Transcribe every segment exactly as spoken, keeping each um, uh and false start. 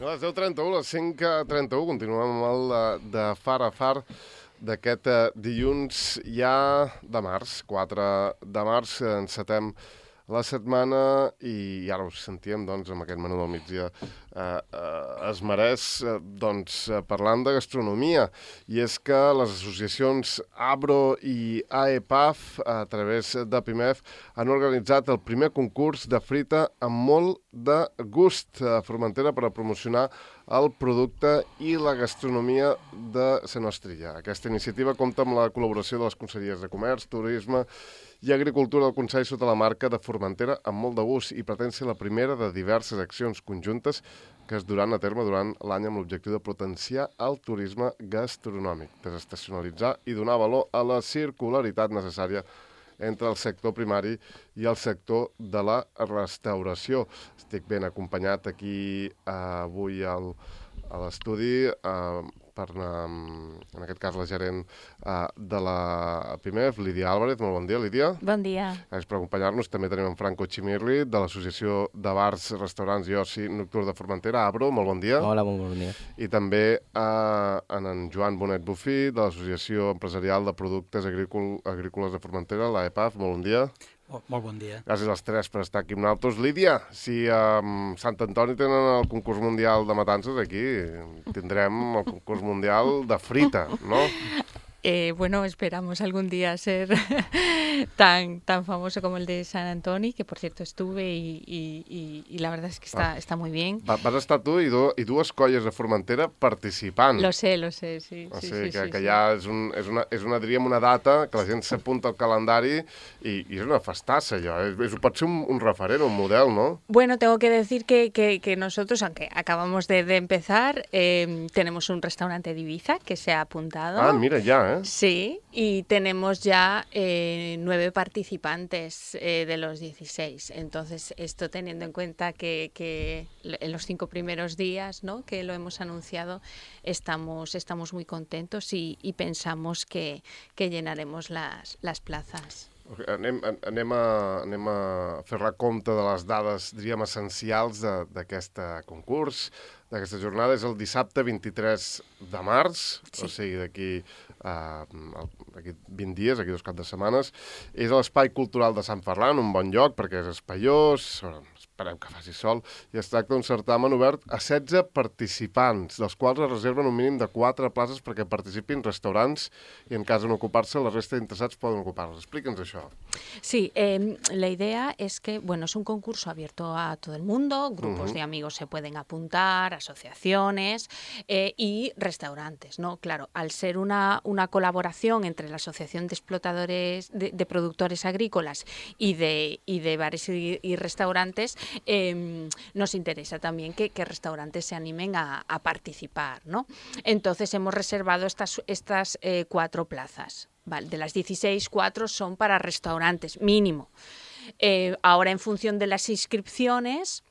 A les deu trenta-u, a les cinc trenta-u, continuem amb el de, de far a far d'aquest uh, dilluns ja de març, quatre de març, encetem la setmana i, i ara us sentíem doncs, amb aquest menú del migdia eh, eh, es mereix eh, doncs, eh, parlant de gastronomia, i és que les associacions Abro i A E P A F a través de Pimef han organitzat el primer concurs de frita amb molt de gust a Formentera per a promocionar el producte i la gastronomia de la nostra illa. Aquesta iniciativa compta amb la col·laboració de les Conselleries de Comerç, Turisme i Agricultura del Consell sota la marca de Formentera amb molt de gust, i pretén ser la primera de diverses accions conjuntes que es duran a terme durant l'any amb l'objectiu de potenciar el turisme gastronòmic, desestacionalitzar i donar valor a la circularitat necessària entre el sector primari i el sector de la restauració. Estic ben acompanyat aquí eh, avui al, a l'estudi eh, per, eh, en aquest cas, la gerent eh, de la Pimef, Lídia Álvarez. Molt bon dia, Lídia. Bon dia. Gràcies per acompanyar-nos. També tenim en Franco Chimirri, de l'Associació de Bars, Restaurants i Oci Nocturn de Formentera, Abro. Molt bon dia. Hola, molt bon dia. I també eh, en, en Joan Bonet Bufí, de l'Associació Empresarial de Productes Agrícol, Agrícoles de Formentera, l'A E P A F. Molt bon dia. Oh, molt bon dia. Gràcies als tres per estar aquí amb nosaltres. Lídia, si a um, Sant Antoni tenen el concurs mundial de matances, aquí tindrem el concurs mundial de frita, no? Eh, bueno, esperamos algún día ser tan, tan famoso como el de San Antoni, que por cierto estuve y, y, y, y la verdad es que está, ah. está muy bien. Va, vas estar tu i, do, i dues colles de Formentera participant. Lo sé, lo sé, sí. O sí, sigui, sí, que, sí, que sí. ja és, un, és, una, és una, diríem, una data que la gent s'apunta al calendari i, i és una festassa, allò. És, és, pot ser un, un referent, un model, no? Bueno, tengo que decir que, que, que nosotros, aunque acabamos de, de empezar, eh, tenemos un restaurante de Ibiza que se ha apuntado. Ah, mira, ya, ¿eh? Sí, y tenemos ya eh, nueve participantes eh, de los dieciséis. Entonces, esto teniendo en cuenta que, que en los cinco primeros días, ¿no?, que lo hemos anunciado, estamos, estamos muy contentos y, y pensamos que, que llenaremos las, las plazas. Anem, anem, a, anem a fer recompte de les dades, diríem, essencials d'aquest concurs, d'aquesta jornada. És el dissabte vint-i-tres de març, sí. O sigui, d'aquí uh, d'aquí vint dies, d'aquí dos caps de setmanes. És a l'Espai Cultural de Sant Ferran, un bon lloc, perquè és espaiós, esperem que faci sol, i es tracta d'un certamen obert a setze participants, dels quals es reserven un mínim de quatre places perquè participin restaurants i, en cas de no ocupar-se, la resta d'interessats poden ocupar-les. Explica'ns això. Sí, eh, la idea es que, bueno, es un concurso abierto a todo el mundo, grupos uh-huh. de amigos se pueden apuntar, asociaciones eh, y restaurantes, ¿no? Claro, al ser una, una colaboración entre la Asociación de Explotadores, de, de Productores Agrícolas y de, y de bares y, y restaurantes, eh, nos interesa también que, que restaurantes se animen a, a participar, ¿no? Entonces hemos reservado estas, estas eh, cuatro plazas. Vale, de las dieciséis, cuatro son para restaurantes, mínimo. Eh, ahora, en función de las inscripciones,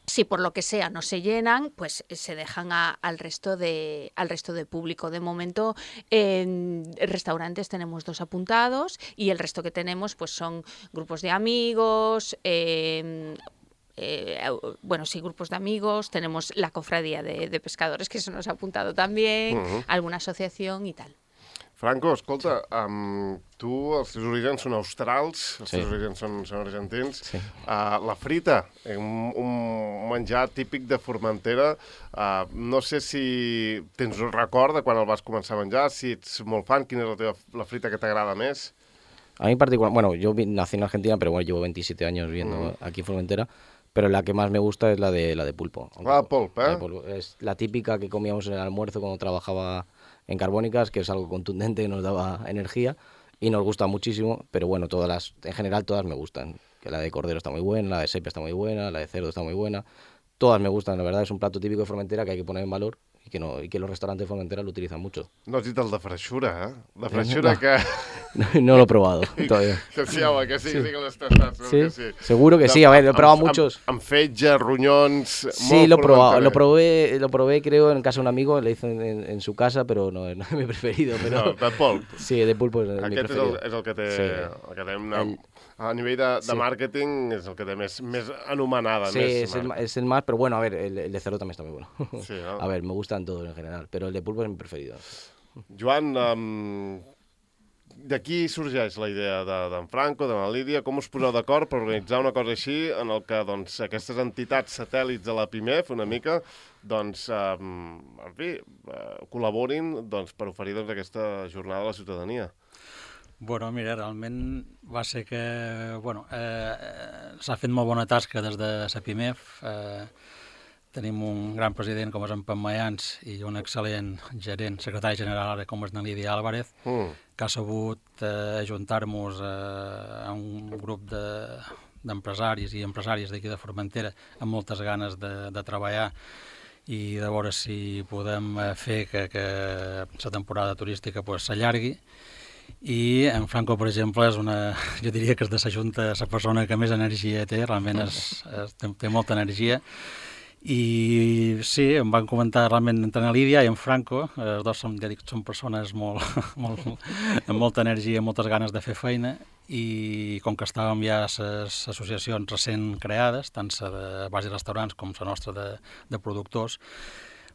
si por lo que sea no se llenan, pues se dejan a, al, resto de, al resto de público. De momento, en restaurantes tenemos dos apuntados y el resto que tenemos pues son grupos de amigos, eh, Eh, bueno, sí, grupos de amigos, tenemos la cofradía de, de pescadores que se nos ha apuntado también, uh-huh. alguna asociación y tal. Franco, escolta, um, tu, els teus orígens són australs, els sí. teus orígens són, són argentins. Sí. Uh, la frita, un, un menjar típic de Formentera, uh, no sé si tens un record de quan el vas començar a menjar, si ets molt fan, quina és la, teva, la frita que t'agrada més? A mí en particular, bueno, yo nací en Argentina, pero bueno, llevo veintisiete años viviendo uh-huh. aquí en Formentera. Pero la que más me gusta es la de la de pulpo. Ah, pulpo, ¿eh? La de pulpo. Es la típica que comíamos en el almuerzo cuando trabajaba en Carbónicas, que es algo contundente, que nos daba energía y nos gusta muchísimo, pero bueno, todas las, en general todas me gustan. Que la de cordero está muy buena, la de sepia está muy buena, la de cerdo está muy buena. Todas me gustan, la verdad, es un plato típico de Formentera que hay que poner en valor y que, no, y que los restaurantes de Formentera lo utilizan mucho. No has dit el de freixura, eh? La freixura no. que... No, no lo he probado todavía. Que sí, home, que sí, sí, sí que l'has tastat. ¿Sí? Que sí. Seguro que sí, a ver, lo he probado amb, muchos. Amb, amb fetge, ronyons... Sí, lo he probado, lo probé, lo probé creo en casa de un amigo, le hice en, en, en su casa, pero no, no es mi preferido. Pero... No, de pulp. Sí, de pulpo es Aquest mi preferido. Aquest és el, és el que té... Sí. El que té una, el... A nivell de, de Sí. màrqueting és el que té més, més anomenada. Sí, més es el, marca. es el más, pero bueno, a ver, el, el de cerdo también está muy bueno. Sí, ¿no? A ver, me gustan todos en general, pero el de pulpo es mi preferido. Joan, um, d'aquí sorgeix la idea de- d'en Franco, de la Lídia. Com us poseu d'acord per organitzar una cosa així en el que doncs, aquestes entitats satèl·lits de la PIMEF una mica doncs, um, en fi, uh, col·laborin doncs, per oferir doncs, aquesta jornada a la ciutadania? Bueno, mira, realment va ser que, bueno, eh, s'ha fet molt bona tasca des de la PIMEF. Eh, tenim un gran president com és en Pep Mayans i un excel·lent gerent, secretari general ara com és en Lídia Álvarez, Mm. que ha sabut eh, ajuntar-nos eh, a un grup de, d'empresaris i empresaris d'aquí de Formentera amb moltes ganes de, de treballar i de veure si podem eh, fer que, que la temporada turística pues, s'allargui. I en Franco, per exemple, és una, jo diria que és de la Junta la persona que més energia té, realment és, és, té, té molta energia. I sí, em van comentar realment entre en Lídia i en Franco, els dos som, ja dic, són persones molt, molt, amb molta energia, moltes ganes de fer feina, i com que estàvem ja a les associacions recent creades, tant la de bars i restaurants com la nostra de, de productors,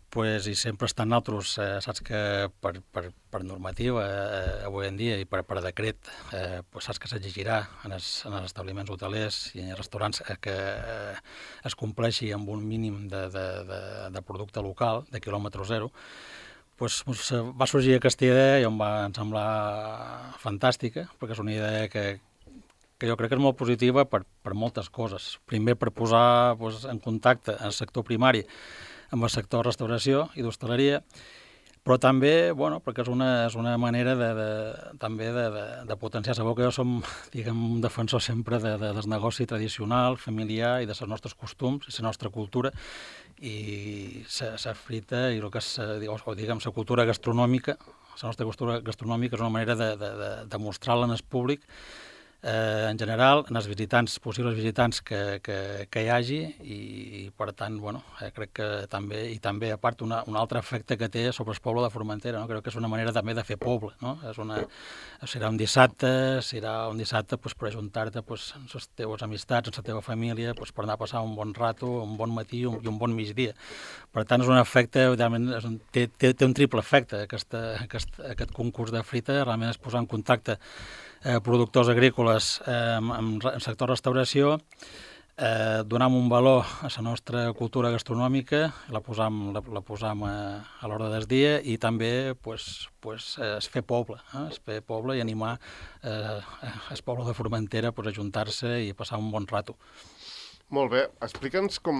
pues, i sempre estan altres, eh, saps que per, per, per normativa eh, avui en dia i per, per decret eh, pues, saps que s'exigirà en, els, en els establiments hotelers i en els restaurants eh, que eh, es compleixi amb un mínim de, de, de, de producte local, de quilòmetre zero. Pues, pues, va sorgir aquesta idea i em va semblar fantàstica, perquè és una idea que, que jo crec que és molt positiva per, per moltes coses. Primer, per posar pues, en contacte el sector primari amb el sector de restauració i d'hostaleria, però també, bueno, perquè és una, és una manera de, de, també de, de, de potenciar. Sabeu que jo som, diguem, un defensor sempre de, de, del negoci tradicional, familiar i de els nostres costums i la nostra cultura, i la frita i el que és, diguem, la cultura gastronòmica, la nostra cultura gastronòmica és una manera de, de, de, de mostrar-la en el públic, eh, en general, en els visitants, possibles visitants que, que, que hi hagi, i, i per tant, bueno, eh, crec que també, i també a part una, un altre efecte que té sobre el poble de Formentera, no? Crec que és una manera també de fer poble, no? És una, serà un dissabte, serà un dissabte pues, per ajuntar-te pues, amb les teves amistats, amb la teva família, pues, per anar a passar un bon rato, un bon matí un, i un bon migdia. Per tant, és un efecte, realment, és un, té, té, té un triple efecte, aquesta, aquest, aquest concurs de frita, realment és posar en contacte Eh, productors agrícoles eh, en el sector restauració, eh, donem un valor a la nostra cultura gastronòmica, la posam, la, la posam a, a l'hora del dia, i també pues, pues, eh, es fer poble, eh, es fer poble i animar eh, el poble de Formentera pues, a ajuntar-se i a passar un bon rato. Molt bé, explica'ns com,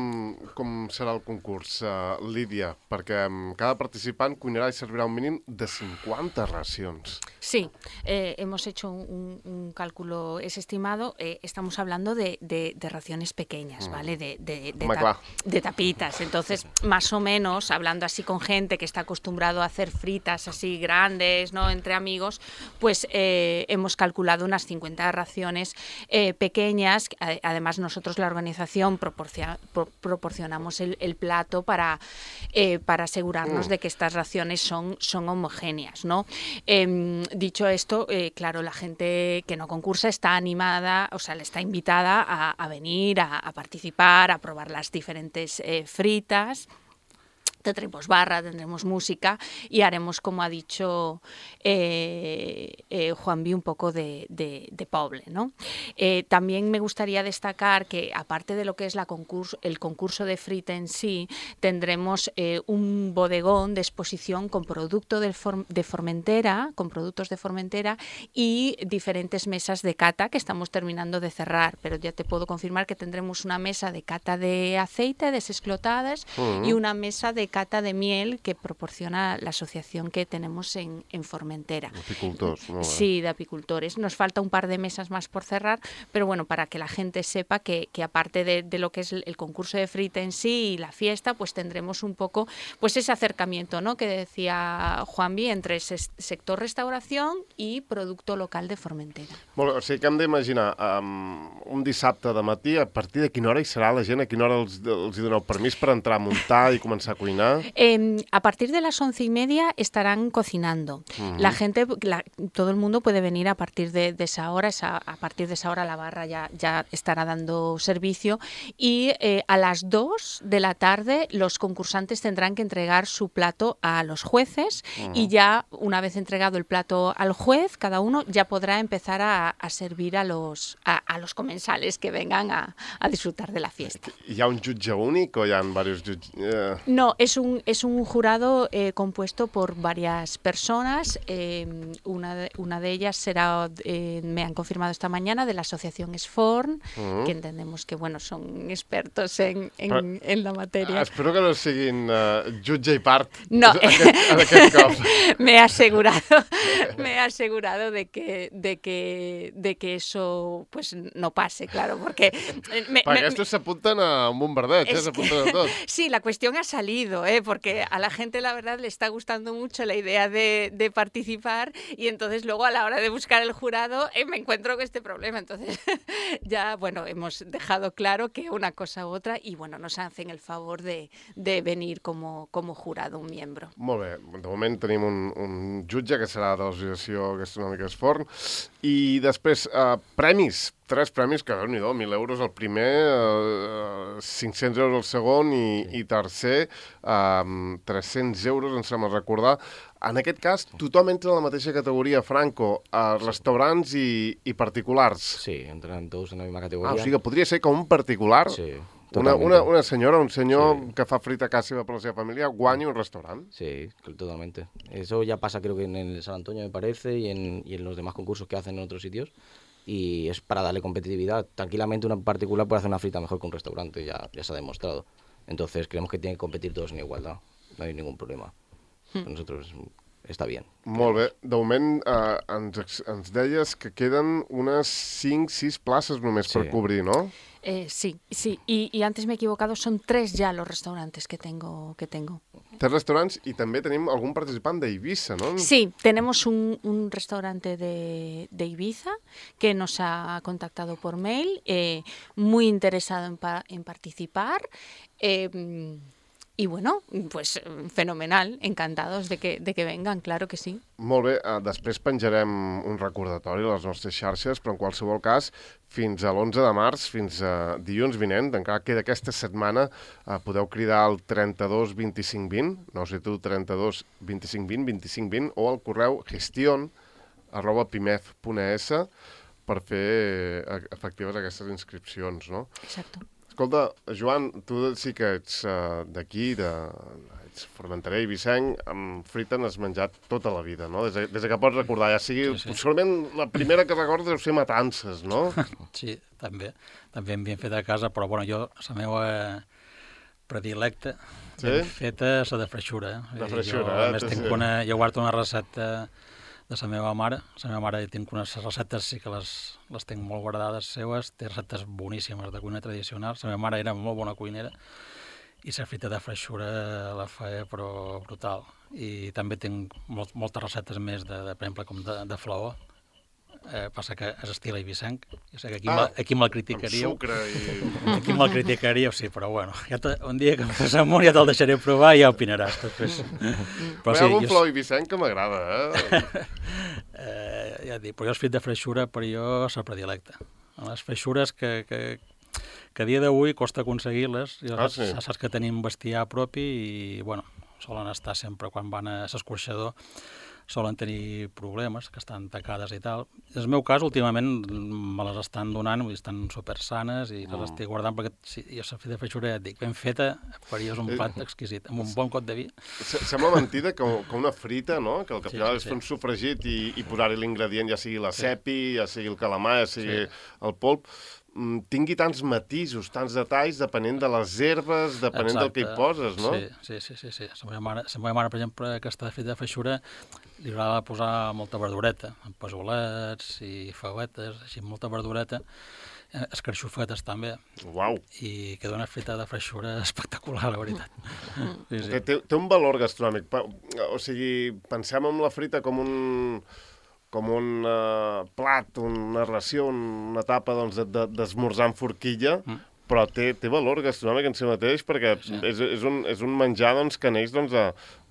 com serà el concurs, uh, Lídia, perquè um, cada participant cuinarà i servirà un mínim de cinquanta racions. Sí, eh, hemos hecho un, un cálculo, es estimado, eh, estamos hablando de, de, de raciones pequeñas, ¿vale? De, de, de, ta de tapitas. Entonces, más o menos, hablando así con gente que está acostumbrado a hacer fritas así grandes, ¿no? Entre amigos, pues eh, hemos calculado unas cincuenta raciones eh, pequeñas. Además, nosotros la organización proporciona, pro, proporcionamos el, el plato para, eh, para asegurarnos mm. de que estas raciones son, son homogéneas, ¿no? Eh, Dicho esto, eh, claro, la gente que no concursa está animada, o sea, le está invitada a, a venir, a, a participar, a probar las diferentes eh, fritas. Tendremos barra, tendremos música y haremos, como ha dicho eh, eh, Juanvi, un poco de, de, de poble, ¿no? Eh, también me gustaría destacar que, aparte de lo que es la concurso, el concurso de frita en sí, tendremos eh, un bodegón de exposición con producto de, For de Formentera, con productos de Formentera y diferentes mesas de cata que estamos terminando de cerrar, pero ya te puedo confirmar que tendremos una mesa de cata de aceite, desesclotadas, uh-huh. y una mesa de cata de miel que proporciona la asociación que tenemos en, en Formentera. Apicultores, ¿no? Sí, de apicultores. Nos falta un par de mesas más por cerrar, pero bueno, para que la gente sepa que, que aparte de, de lo que es el concurso de frita en sí y la fiesta, pues tendremos un poco pues ese acercamiento, ¿no?, que decía Juanvi, entre ese sector restauración i producto local de Formentera. Molt bé, o sigui que hem d'imaginar um, un dissabte de matí, a partir de quina hora hi serà la gent, a quina hora els, els hi doneu permís per entrar a muntar i començar a cuinar? ya? Eh, a partir de las once y media estarán cocinando. Uh-huh. La gente, la, todo el mundo puede venir a partir de, de esa hora. Esa, a partir de esa hora la barra ya, ya estará dando servicio. Y eh, a las dos de la tarde los concursantes tendrán que entregar su plato a los jueces. Uh-huh. Y ya, una vez entregado el plato al juez, cada uno ya podrá empezar a, a servir a los, a, a los comensales que vengan a, a disfrutar de la fiesta. ¿Y hay un jutge único o ya han varios jutges? Uh... No, es un, es un jurado eh, compuesto por varias personas. Eh, una, de, una de ellas será, eh, me han confirmado esta mañana, de la asociación Sforn, uh-huh. que entendemos que bueno, son expertos en, en, Però, en la materia. Espero que no siguin uh, jutge i part. No, aquest, aquest cop. me he asegurado, me he asegurado de que, de que, de que eso pues no pase, claro, porque... Me, Perquè me, estos s'apunten a un bombardeig, eh? S'apunten a tot. Sí, la cuestión ha salido, ¿eh? Porque a la gente la verdad le está gustando mucho la idea de, de participar y entonces luego a la hora de buscar el jurado eh, me encuentro con este problema. Entonces ya, bueno, hemos dejado claro que una cosa u otra y bueno, nos hacen el favor de, de venir como, como jurado, un miembro. Molt bé, de moment tenim un, un jutge que serà de l'Associació Gastronòmica Sforn i després eh, premis. Tres premis, que déu-n'hi-do, mil euros el primer, eh, cinc-cents euros el segon i, i tercer, eh, tres-cents euros, em sembla recordar. En aquest cas, tothom entra en la mateixa categoria, Franco, a restaurants i, i particulars. Sí, entran tots en la misma categoria. Ah, o sigui que podria ser com un particular, sí, una, una, una senyora, un senyor sí. que fa frita a casa seva per la seva família, guanya un restaurant. Sí, totalmente. Eso ya pasa creo que en el San Antonio, me parece, y en, y en los demás concursos que hacen en otros sitios. Y es para darle competitividad. Tranquilamente una particular puede hacer una frita mejor que un restaurante, ya, ya se ha demostrado. Entonces creemos que tienen que competir todos en igualdad, no hay ningún problema. Mm. Para nosotros està bé. Molt bé. De moment eh, ens, ens deies que queden unes cinc sis places només sí. per cobrir, ¿no? Eh, sí, sí. Y, y antes me he equivocado, son tres ya los restaurantes que tengo. Que tengo. Tres restaurants i també tenim algun participant d'Eivissa, ¿no? Sí, tenemos un, un restaurante de, de Ibiza que nos ha contactado por mail, eh, muy interesado en, pa, en participar. Eh, Y bueno, pues fenomenal, encantados de que, de que vengan, claro que sí. Molt bé, uh, després penjarem un recordatori a les nostres xarxes, però en qualsevol cas, fins a l'onze de març, fins a dilluns vinent, encara queda aquesta setmana, uh, podeu cridar al trenta-dos vint-i-cinc vint, no sé tu, trenta-dos vint-i-cinc vint, vint-i-cinc vint, o al correu gestión arroba pimef punt es per fer efectives aquestes inscripcions, no? Exacto. Escolta, Joan, tu sí que ets uh, d'aquí, de, ets formenterer i vicenc, amb frita n'has menjat tota la vida, no? Des de, des de que pots recordar, ja sigui... Sí, sí. Segurament la primera que recordes deu ser matances, no? Sí, també. També hem ben fet a casa, però bueno, jo, la meva predilecta, sí? ben feta, és la de freixura. De freixura, jo, eh? A més, tinc una, jo guardo una recepta de la meva mare. La meva mare tinc unes receptes, sí que les, les tinc molt guardades seues, té receptes boníssimes de cuina tradicional. La meva mare era molt bona cuinera i la frita de freixura la feia però brutal. I també tinc molt, moltes receptes més, de, de, per exemple, com de, de flaó. Eh, passa que és estil eivissenc. Jo sé que aquí, ah, aquí me'l criticaríeu. Amb sucre i... Aquí me'l criticaríeu, sí, però bueno, ja te, un dia que em fas amunt ja te'l deixaré provar i ja opinaràs. Després. Però sí, hi ha algun jo... flau eivissenc que m'agrada, eh? eh? Ja et dic, però jo el frit de freixura, per jo, és la predilecta. Les freixures que, que, que a dia d'avui costa aconseguir-les. Ah, sí. Saps que tenim bestiar propi i, bueno, solen estar sempre, quan van a l'escorxador, solen tenir problemes, que estan tacades i tal. En el meu cas, últimament, me les estan donant, vull dir, estan super sanes i les mm. estic guardant perquè sí, jo la frita de freixura, ja et dic, ben feta, per és un plat exquisit, amb un bon cot de vi. Sembla mentida que, que una frita, no?, que el que sí, final sí, és fer un sofregit i, i posar-hi l'ingredient, ja sigui la sí. cepi, ja sigui el calamar, ja sigui sí. el polp, tingui tants matisos, tants detalls, depenent de les herbes, depenent Exacte. del que hi poses, no? Sí, sí, sí. sí. La meva mare, la meva mare, per exemple, aquesta frita de freixura, li agrada posar molta verdureta, amb pesolets i feuetes, així, molta verdureta, escarxofetes també. Uau! I queda una frita de freixura espectacular, la veritat. Sí, sí. Té, té un valor gastronòmic. O sigui, pensem en la frita com un... com un uh, plat, una ració, una tapa doncs, d'esmorzar amb forquilla, mm. però té, té valor gastronòmic en si mateix, perquè sí. és, és, un, és un menjar doncs, que neix doncs, de,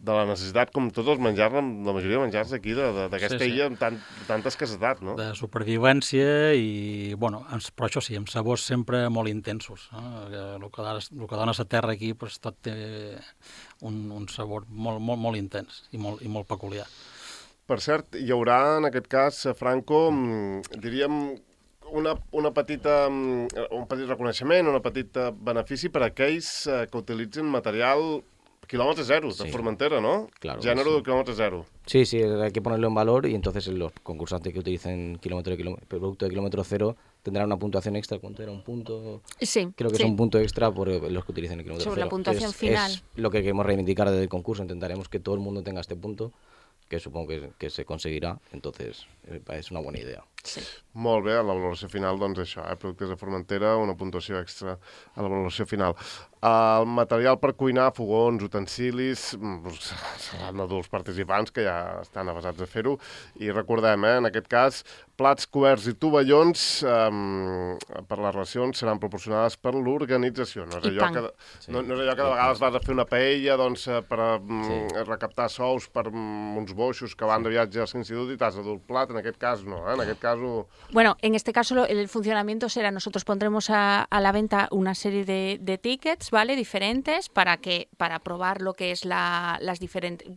de la necessitat, com tots els menjars, la majoria de menjars d'aquí, d'aquesta sí, sí. illa amb tant, tanta escassetat, no? De supervivència i, bueno, però això sí, amb sabors sempre molt intensos. No? El que, el que dona la terra aquí, pues, tot té un, un sabor molt, molt, molt intens i molt, i molt peculiar. Per cert, hi haurà, en aquest cas, Franco, diríem, una, una petita, un petit reconeixement, un petit benefici per a aquells que utilitzen material kilómetro cero de sí. Formentera, ¿no? Claro. Género Sí. de kilómetro cero. Sí, sí, hay que ponerlo en valor y entonces los concursantes que utilicen kilómetro de kilómetro, producto de kilómetro cero tendrán una puntuación extra. ¿Cuánto era? ¿Un punto? Sí. Creo que sí. es un punto extra por los que utilicen el kilómetro Sobre cero. la puntuación es, final. Es lo que queremos reivindicar desde el concurso. Intentaremos que todo el mundo tenga este punto, que supongo que, que se conseguirá. Entonces, es una buena idea. Sí. Molt bé, a la valoració final, doncs això, eh? Productes de Formentera, una puntuació extra a la valoració final. El material per cuinar, fogons, utensilis, seran adults participants que ja estan avasats a fer-ho, i recordem, eh, en aquest cas, plats, coberts i tovallons eh, per les racions seran proporcionades per l'organització. No és allò que, sí. no, no és allò que de vegades vas a fer una paella doncs, per sí. recaptar sous per uns boixos que van de viatge a l'institut i t'has de dur el plat, en aquest cas no, eh? En aquest cas ho... Bueno, en este caso el funcionamiento será, nosotros pondremos a, a la venta una serie de, de tickets, ¿vale? Diferentes para que para probar lo que es la, las diferentes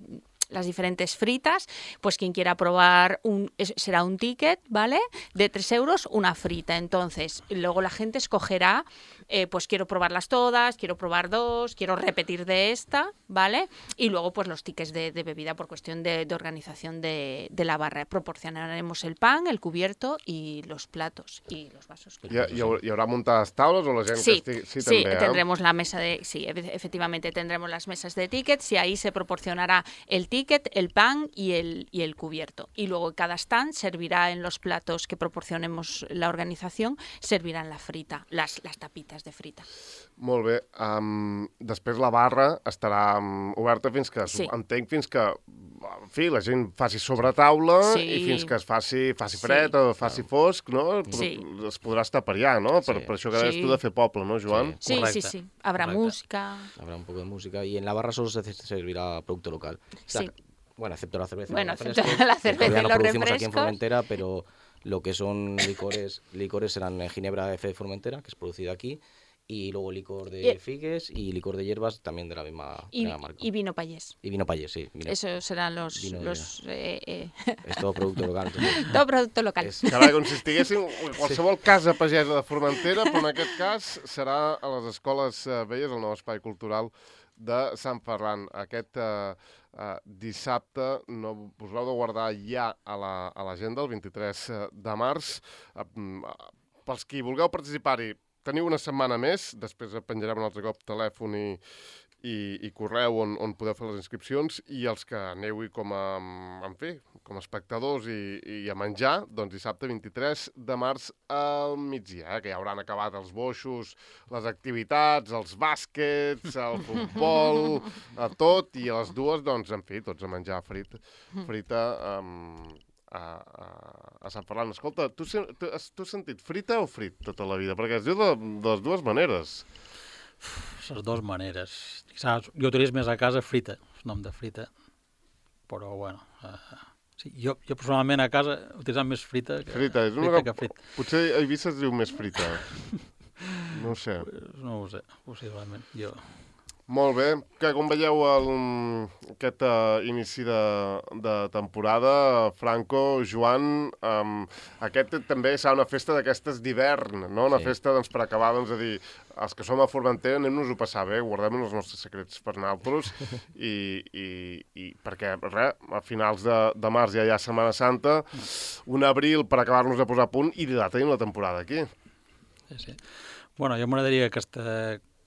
las diferentes fritas, pues quien quiera probar un, será un ticket, ¿vale? De tres euros, una frita. Entonces, luego la gente escogerá, eh, pues quiero probarlas todas, quiero probar dos, quiero repetir de esta, ¿vale? Y luego, pues los tickets de, de bebida por cuestión de, de organización de, de la barra. Proporcionaremos el pan, el cubierto y los platos y los vasos. ¿Y, y, ¿Y habrá montadas tablas o la gente sí, que estigui... Sí, sí, també, tendremos eh? la mesa de... Sí, efectivamente tendremos las mesas de tickets y ahí se proporcionará el ticket ticket, el pan y el, y el cubierto. Y luego cada stand servirá en los platos que proporcionemos la organización, servirán la frita, las, las tapitas de frita. Molt bé. Um, després la barra estarà um, oberta fins que, sí. entenc, fins que en fi, la gent faci sobre taula sí. i fins que es faci, faci fred sí. o faci fosc, no? Sí. Es podrà estar per allà, no? Per, sí. per això que deies sí. tu de fer poble, no, Joan? Sí, sí, sí. sí. Habrá Correcte. música. Habrá un poco de música y en la barra solo se servirá producto local. Sí. O sea, bueno, excepto la cerveza. Bueno, excepto refrescos, la cerveza y no los producimos refrescos. aquí en Formentera, pero lo que son licores, licores serán Ginebra F de Formentera, que es producida aquí, y luego licor de y, figues y licor de hierbas también de la misma, y, de la marca. Y vino payés. Y vino payés, sí. Vino. Esos serán los... los eh, eh. Es todo producto local. Entonces. Todo producto local. És... Carai, com si estiguéssim en qualsevol sí. casa pagesa de Formentera, però en aquest cas serà a les escoles eh, velles, el nou espai cultural de Sant Ferran. Aquest eh, eh, dissabte no us l'heu de guardar ja a l'agenda, el vint-i-tres de març. Eh, pels qui vulgueu participar-hi, teniu una setmana més, després penjarem un altre cop telèfon i, i, i correu on, on podeu fer les inscripcions, i els que aneu-hi com a, en fi, com a espectadors i, i a menjar, doncs dissabte vint-i-tres de març al migdia, eh, que ja hauran acabat els boixos, les activitats, els bàsquets, el futbol, a tot, i a les dues, doncs, en fi, tots a menjar frit, frita amb... A, a, a Sant Ferran. Escolta, tu, tu, tu has sentit frita o frit tota la vida? Perquè es diu de, de les dues maneres. Les dues maneres. Saps? Jo utilitzo més a casa frita, el nom de frita, però bueno... Uh, sí, jo, jo personalment a casa utilitzant més frita que frita. És una frita que frit. Potser a Eivissa es diu més frita. No ho sé. No ho sé, possiblement. Jo... Molt bé, que com veieu el, aquest uh, inici de, de temporada, Franco, Joan, um, aquest també serà una festa d'aquestes d'hivern, no? Una sí. festa doncs, per acabar, doncs, a dir, els que som a Formentera anem-nos a passar bé, guardem els nostres secrets per nosaltres, i, i, i perquè, res, a finals de, de març ja hi ha Setmana Santa, un abril per acabar-nos de posar a punt, i ja tenim la temporada aquí. Sí, sí. Bueno, jo m'agradaria que aquesta...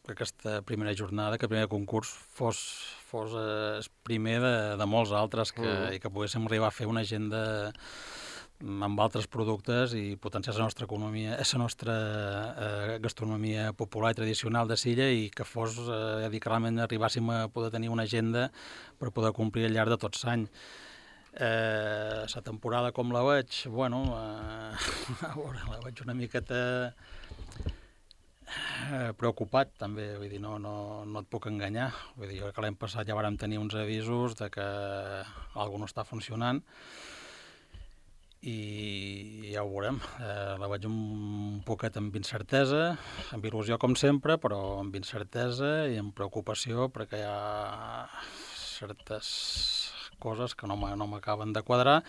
que aquesta primera jornada, que el primer concurs fos, fos eh, el primer de, de molts altres que, mm. i que poguéssim arribar a fer una agenda amb altres productes i potenciar la nostra economia, la nostra eh, gastronomia popular i tradicional de Silla, i que fos, eh, dir, que realment arribàssim a poder tenir una agenda per poder complir al llarg de tot l'any. Eh, la temporada com la veig, bueno, eh, a veure, la veig una miqueta... Eh, preocupat, també, vull dir, no, no, no et puc enganyar. Vull dir, jo crec que l'any passat ja vàrem tenir uns avisos de que alguna no està funcionant i ja ho veurem. Eh, la veig un poquet amb incertesa, amb il·lusió com sempre, però amb incertesa i amb preocupació perquè hi ha certes coses que no m'acaben de quadrar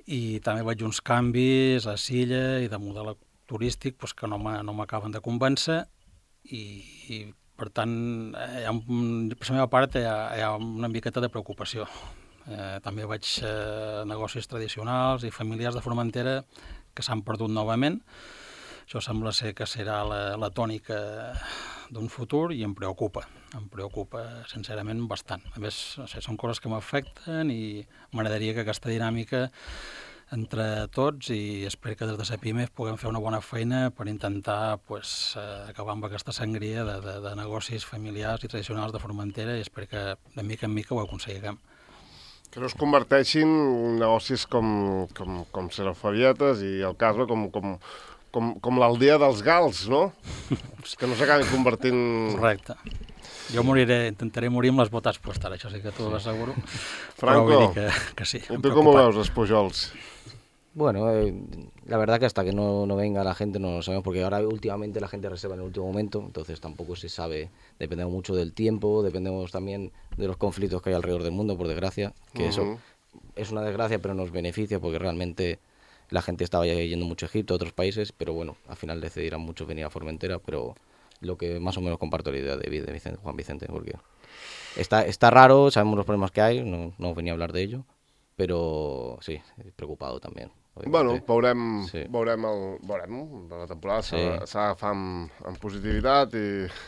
i també veig uns canvis a Silla i de model turístic pues, que no m'acaben de convèncer i, i per tant, hi ha, per la meva part hi ha, hi ha una miqueta de preocupació. Eh, també veig eh, negocis tradicionals i familiars de Formentera que s'han perdut novament. Això sembla ser que serà la, la tònica d'un futur i em preocupa. Em preocupa, sincerament, bastant. A més, no sé, són coses que m'afecten i m'agradaria que aquesta dinàmica entre tots i espero que des de Cepime puguem fer una bona feina per intentar pues, acabar amb aquesta sangria de, de, de negocis familiars i tradicionals de Formentera i espero que de mica en mica ho aconseguirem. Que no es converteixin negocis com, com, com Serofavietes i el Casba com, com, com, com l'aldea dels Gals, no? Que no s'acabin convertint... Correcte. Jo moriré, intentaré morir amb les botes postes, això sí que t'ho asseguro. Franco, que, que sí, ¿y tú cómo veus els Pujols? Bueno, eh, la verdad que hasta que no, no venga la gente no lo sabemos, porque ahora últimamente la gente reserva en el último momento, entonces tampoco se sabe, dependemos mucho del tiempo, dependemos también de los conflictos que hay alrededor del mundo, por desgracia, que uh-huh. eso es una desgracia pero nos beneficia porque realmente la gente estaba ya yendo mucho a Egipto, a otros países, pero bueno, al final decidirán muchos venir a Formentera, pero lo que más o menos comparto la idea de, de Vicente, Juan Vicente, porque está, está raro, sabemos los problemas que hay, no, no venía a hablar de ello, pero sí, preocupado también. Bueno, veurem, sí. veurem, el, veurem la temporada, sí. s'ha d'agafar amb, amb positivitat i,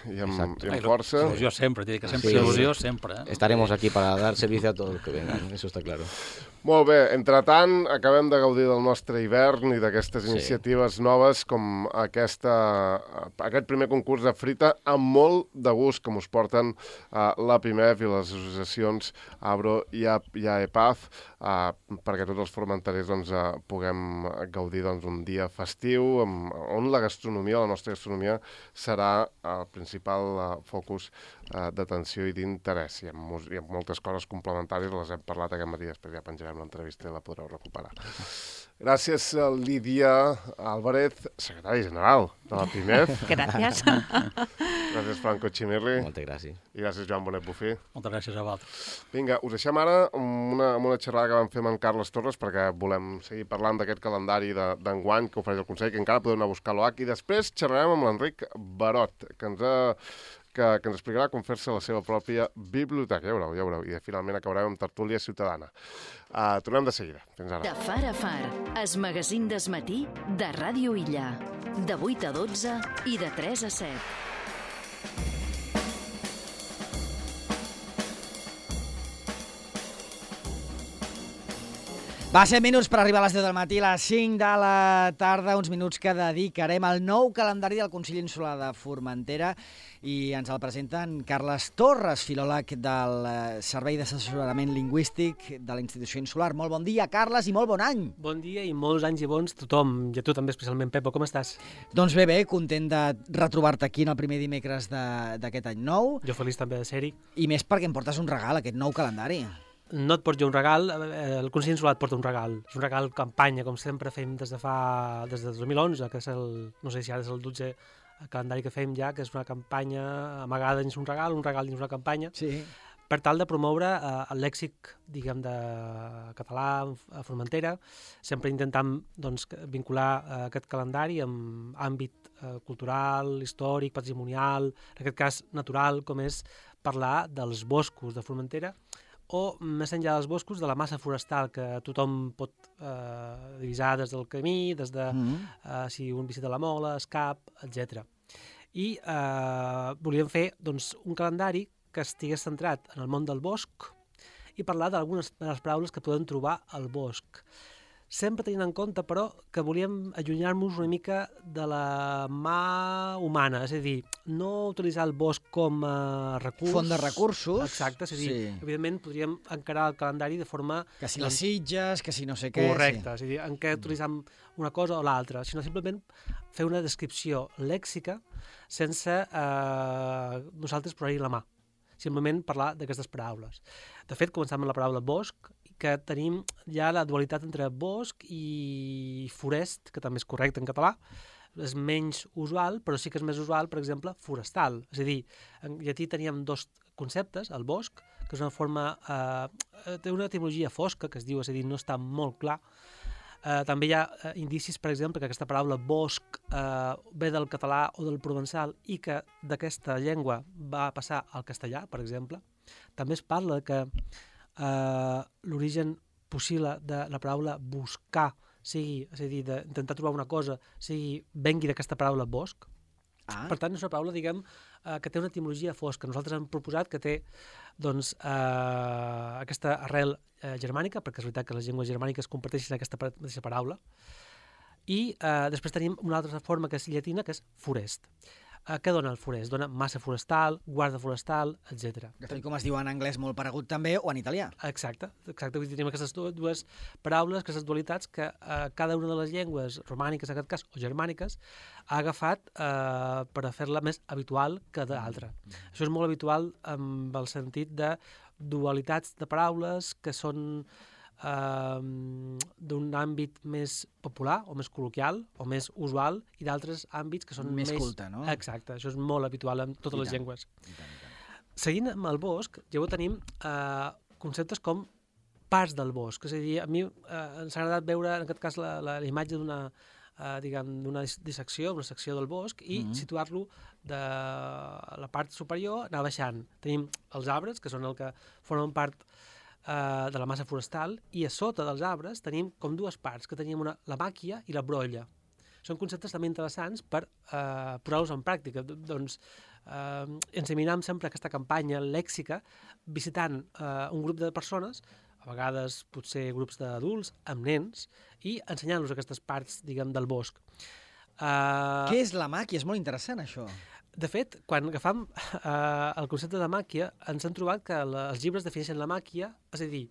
i, amb, i amb força. Il·lusió sempre, t'he dit que sempre sí. il·lusió sempre. Eh? Estaremos aquí para dar servicio a todos los que vengan, eso está claro. Molt bé, entretant, acabem de gaudir del nostre hivern i d'aquestes sí. iniciatives noves com aquesta, aquest primer concurs de frita amb molt de gust que us porten uh, l'A P I M E F i les associacions Abro i AEPAF uh, perquè tots els formenterers doncs, uh, puguem gaudir doncs, un dia festiu amb, on la gastronomia, la nostra gastronomia, serà el principal uh, focus uh, d'atenció i d'interès. Hi ha, hi ha moltes coses complementàries, les hem parlat aquest matí, després ja penjarem l'entrevista i la podreu recuperar. Gràcies a Lídia Álvarez, secretari general de la P I M E F. Gràcies. Gràcies, Franco Chimirri. Moltes gràcies. I gràcies, Joan Bonet Bufí. Moltes gràcies a vosaltres. Vinga, us deixem ara amb una, amb una xerrada que vam fer amb en Carles Torres perquè volem seguir parlant d'aquest calendari d'enguany que ofereix el Consell, que encara podeu anar a buscar a l'O H, i després xerrarem amb l'Enric Barot, que ens ha... Que, que ens explicarà com fer-se la seva pròpia biblioteca. Ja veureu, ja veureu. I finalment acabarem amb tertúlia ciutadana. Uh, tornem de seguida. Fins ara. De far a far, es magazín desmatí de Ràdio Illa. De vuit a dotze i de tres a set. Va ser minuts per arribar a les deu del matí, a les cinc de la tarda, uns minuts que dedicarem al nou calendari del Consell Insular de Formentera i ens el presenten Carles Torres, filòleg del Servei d'Assessorament Lingüístic de la Institució Insular. Molt bon dia, Carles, i molt bon any. Bon dia i molts anys i bons tothom, i a tu també especialment, Pepo, com estàs? Doncs bé, bé, content de retrobar-te aquí en el primer dimecres d'aquest any nou. Jo feliç també de ser-hi. I més perquè em portes un regal, aquest nou calendari. No et porto jo un regal, el Consell Insular et porta un regal. És un regal campanya, com sempre fem des de fa... des de dos mil onze, que és el... no sé si ara és el dotze calendari que fem ja, que és una campanya amagada dins un regal, un regal dins una campanya, sí. per tal de promoure eh, el lèxic, diguem, de català a Formentera, sempre intentant doncs, vincular eh, aquest calendari amb àmbit eh, cultural, històric, patrimonial, en aquest cas natural, com és parlar dels boscos de Formentera, o més enllà dels boscos, de la massa forestal que tothom pot eh, divisar des del camí, des de mm-hmm. eh, si un visita la Mola, Escap, etcètera. I eh, volíem fer doncs, un calendari que estigués centrat en el món del bosc i parlar d'algunes de les paraules que podem trobar al bosc. sempre tenint en compte, però, que volíem allunyar-nos una mica de la mà humana, és a dir, no utilitzar el bosc com a recurs... Font de recursos. Exacte, és a dir, Sí. evidentment podríem encarar el calendari de forma... Que si les sitges, que si no sé què... Correcte, és a dir, en què utilitzem una cosa o l'altra, sinó simplement fer una descripció lèxica sense eh, nosaltres posar-hi la mà, simplement parlar d'aquestes paraules. De fet, començant amb la paraula bosc, que tenim ja la dualitat entre bosc i forest, que també és correcte en català, és menys usual, però sí que és més usual, per exemple, forestal. És a dir, en llatí teníem dos conceptes, el bosc, que és una forma... Eh, té una etimologia fosca, que es diu, és a dir, no està molt clar. Eh, també hi ha eh, indicis, per exemple, que aquesta paraula bosc eh, ve del català o del provençal i que d'aquesta llengua va passar al castellà, per exemple. També es parla que eh, l'origen possible de la paraula buscar sigui, és a dir, d'intentar trobar una cosa, sigui, vengui d'aquesta paraula bosc. Ah. Per tant, és una paraula, diguem, eh, que té una etimologia fosca. Nosaltres hem proposat que té, doncs, eh, aquesta arrel eh, germànica, perquè és veritat que les llengües germàniques comparteixen aquesta mateixa paraula, i eh, després tenim una altra forma que és llatina, que és forest. Eh, què dona el forest? Dona massa forestal, guarda forestal, etcètera. Tal com es diu en anglès molt paregut també, o en italià. Exacte, exacte. Vull dir, tenim aquestes dues paraules, aquestes dualitats que eh, cada una de les llengües romàniques, en aquest cas, o germàniques, ha agafat eh, per a fer-la més habitual que d'altra. Mm. Això és molt habitual amb el sentit de dualitats de paraules que són eh, d'un àmbit més popular o més col·loquial o més usual i d'altres àmbits que són més... Més culte, no? Exacte, això és molt habitual en totes I les tant. llengües. I tant, i tant. Seguint amb el bosc, llavors tenim eh, conceptes com parts del bosc. És a dir, a mi eh, ens ha agradat veure, en aquest cas, la, la, la imatge d'una eh, diguem, d'una dissecció, una secció del bosc, i mm-hmm. situar-lo de la part superior, anar baixant. Tenim els arbres, que són el que formen part eh, de la massa forestal, i a sota dels arbres tenim com dues parts, que tenim una, la màquia i la brolla. Són conceptes també interessants per eh, posar-los en pràctica. Doncs eh, enseminam sempre aquesta campanya lèxica visitant eh, un grup de persones, a vegades potser grups d'adults, amb nens, i ensenyant-los aquestes parts, diguem, del bosc. Uh, Què és la màquia? És molt interessant, això. De fet, quan agafam uh, el concepte de màquia, ens hem trobat que la, els llibres defineixen la màquia, és a dir,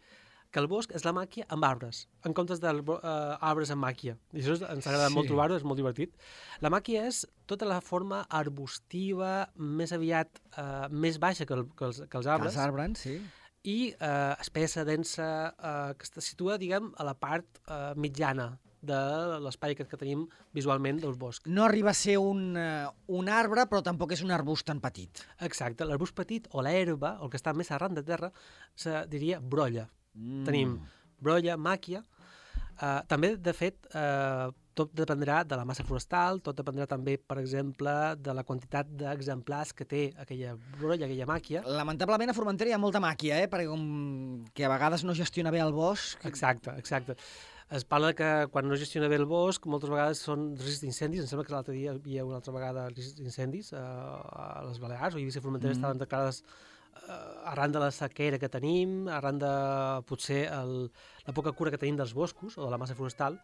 que el bosc és la màquia amb arbres, en comptes d'arbres uh, amb màquia. I això ens ha agradat sí. molt trobar-ho, és molt divertit. La màquia és tota la forma arbustiva, més aviat uh, més baixa que, el, que, els, que els arbres. Que els arbres, sí. I uh, espessa, densa, uh, que es situa, diguem, a la part uh, mitjana de l'espai que, que tenim visualment del bosc. No arriba a ser un, uh, un arbre, però tampoc és un arbust tan petit. Exacte. L'arbust petit o l'herba, o el que està més arran de terra, se diria brolla. Mm. Tenim brolla, màquia. Uh, també, de fet, uh, tot dependrà de la massa forestal, tot dependrà també, per exemple, de la quantitat d'exemplars que té aquella brolla, aquella màquia. Lamentablement a Formentera hi ha molta màquia, eh? Perquè com que a vegades no gestiona bé el bosc... Exacte, exacte. Es parla que quan no gestiona bé el bosc, moltes vegades són riscs d'incendis. Em sembla que l'altre dia hi havia una altra vegada riscs d'incendis uh, a les Balears, o Eivissa i Formentera mm. estaven declarades uh, arran de la sequera que tenim, arran de potser el, la poca cura que tenim dels boscos o de la massa forestal.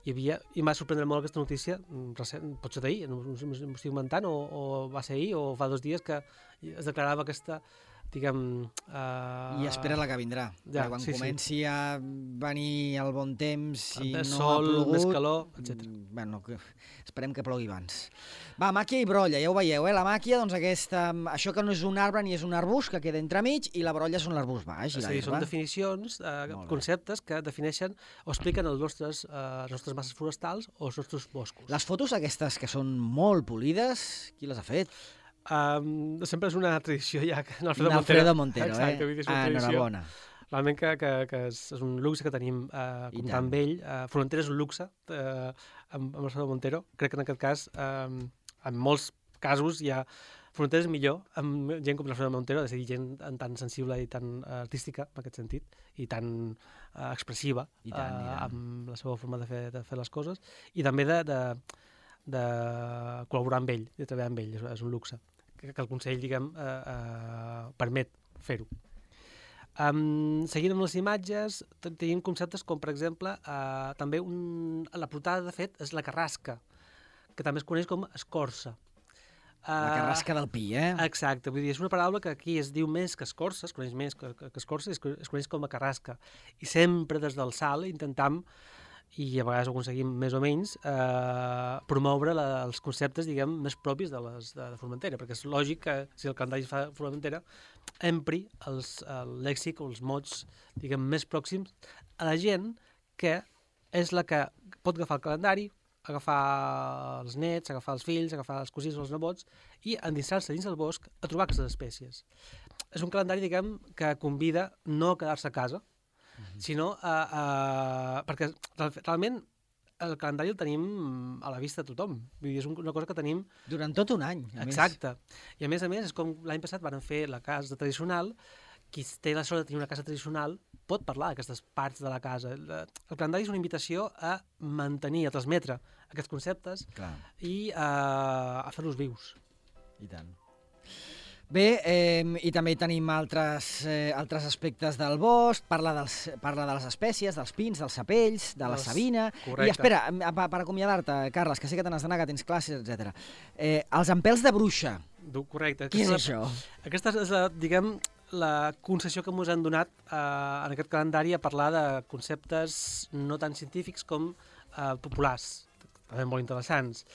Hi havia, i m'ha sorprendre molt aquesta notícia, recent, pot ser d'ahir, no m'ho estic inventant, o, o va ser ahir, o fa dos dies que es declarava aquesta, diguem... Uh, I espera la que vindrà. Ja, quan sí, comenci sí. a venir el bon temps i més no sol, ha plogut... més calor, etcètera. Bueno, que, esperem que plogui abans. Va, màquia i brolla, ja ho veieu, eh? La màquia, doncs aquesta, això que no és un arbre ni és un arbust, que queda entremig, i la brolla són l'arbust baix. I és a dir, són definicions, eh, conceptes que defineixen o expliquen els nostres, eh, les nostres masses forestals o els nostres boscos. Les fotos aquestes que són molt polides, qui les ha fet? Um, sempre és una tradició ja que Alfredo, Alfredo Montero, Exacte, eh? Vull dir, és una ah, tradició. enhorabona. Realment que, que, que és, és un luxe que tenim eh, comptar amb ell. Eh, Formentera és un luxe eh, amb, amb Alfredo Montero. Crec que en aquest cas, eh, en molts casos, hi ha Formentera és millor amb gent com l'Alfredo Montero, és a dir, gent tan sensible i tan uh, artística, en aquest sentit, i tan uh, expressiva I tant, uh, i tant. amb la seva forma de fer, de fer les coses, i també de, de, de col·laborar amb ell, de treballar amb ell, és, és un luxe, que, que el Consell, diguem, uh, uh, permet fer-ho. Um, seguint amb les imatges, tenim conceptes com, per exemple, uh, també un, la portada, de fet, és la carrasca, que també es coneix com escorça. Uh, La carrasca del pi, eh? Exacte, vull dir, és una paraula que aquí es diu més que escorça, es coneix més que, que, que escorça, es, es coneix com a carrasca. I sempre des del salt intentam, i a vegades ho aconseguim més o menys, eh, promoure la, els conceptes, diguem, més propis de, les, de, de Formentera, perquè és lògic que si el calendari fa Formentera empri els, el lèxic o els mots, diguem, més pròxims a la gent que és la que pot agafar el calendari, agafar els nets, agafar els fills, agafar els cosins o els nebots i endinsar-se dins del bosc a trobar aquestes espècies. És un calendari, diguem, que convida no a quedar-se a casa, mm-hmm. sinó a, a... perquè realment el calendari el tenim a la vista de tothom. Vull dir, és una cosa que tenim... Durant tot un any, a Exacte. més. I a més a més, és com l'any passat van fer la casa tradicional, qui té la sort de tenir una casa tradicional pot parlar d'aquestes parts de la casa. El calendari és una invitació a mantenir, a transmetre aquests conceptes Clar. i a, a fer-los vius. I tant. Bé, eh, i també tenim altres, eh, altres aspectes del bosc, parla, dels, parla de les espècies, dels pins, dels sapells, de la savina... Correcte. I espera, per acomiadar-te, Carles, que sé que te n'has d'anar, que tens classes, etcètera. Eh, els empelts de bruixa. Correcte. Què és aquesta, això? Aquesta és, la, diguem, la concessió que ens han donat eh, en aquest calendari a parlar de conceptes no tan científics com eh, populars, també molt interessants.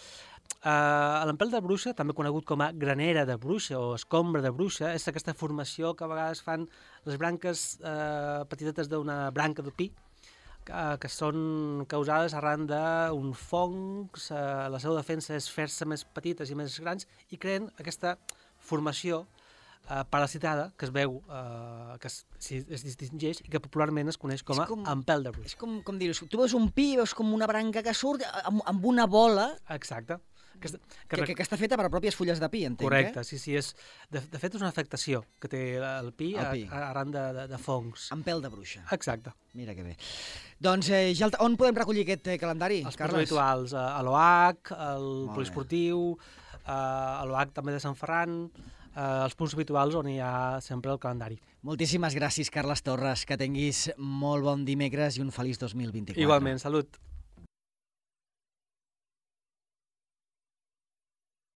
Uh, L'empelt de bruixa, també conegut com a granera de bruixa o escombra de bruixa, és aquesta formació que a vegades fan les branques uh, petitetes d'una branca de pi, que, que són causades arran d'un fong, uh, la seva defensa és fer-se més petites i més grans i creen aquesta formació uh, parasitada que es veu, uh, que es, es distingeix i que popularment es coneix com a com, empelt de bruixa. És com, com dir-ho, tu veus un pi, veus com una branca que surt amb, amb una bola... Exacte. Que, que, que, que està feta per a pròpies fulles de pi, entenc, correcte, eh? sí, sí. És, de, de fet, és una afectació que té el pi, el pi. A, a, arran de, de, de fongs. Empelt de bruixa. Exacte. Mira que bé. Doncs, eh, ja el, on podem recollir aquest eh, calendari, Els Carles? Els punts habituals, a, a l'O H, al poliesportiu, a, a l'O H també de Sant Ferran, a, els punts habituals on hi ha sempre el calendari. Moltíssimes gràcies, Carles Torres. Que tinguis molt bon dimecres i un feliç dos mil vint-i-quatre. Igualment, salut.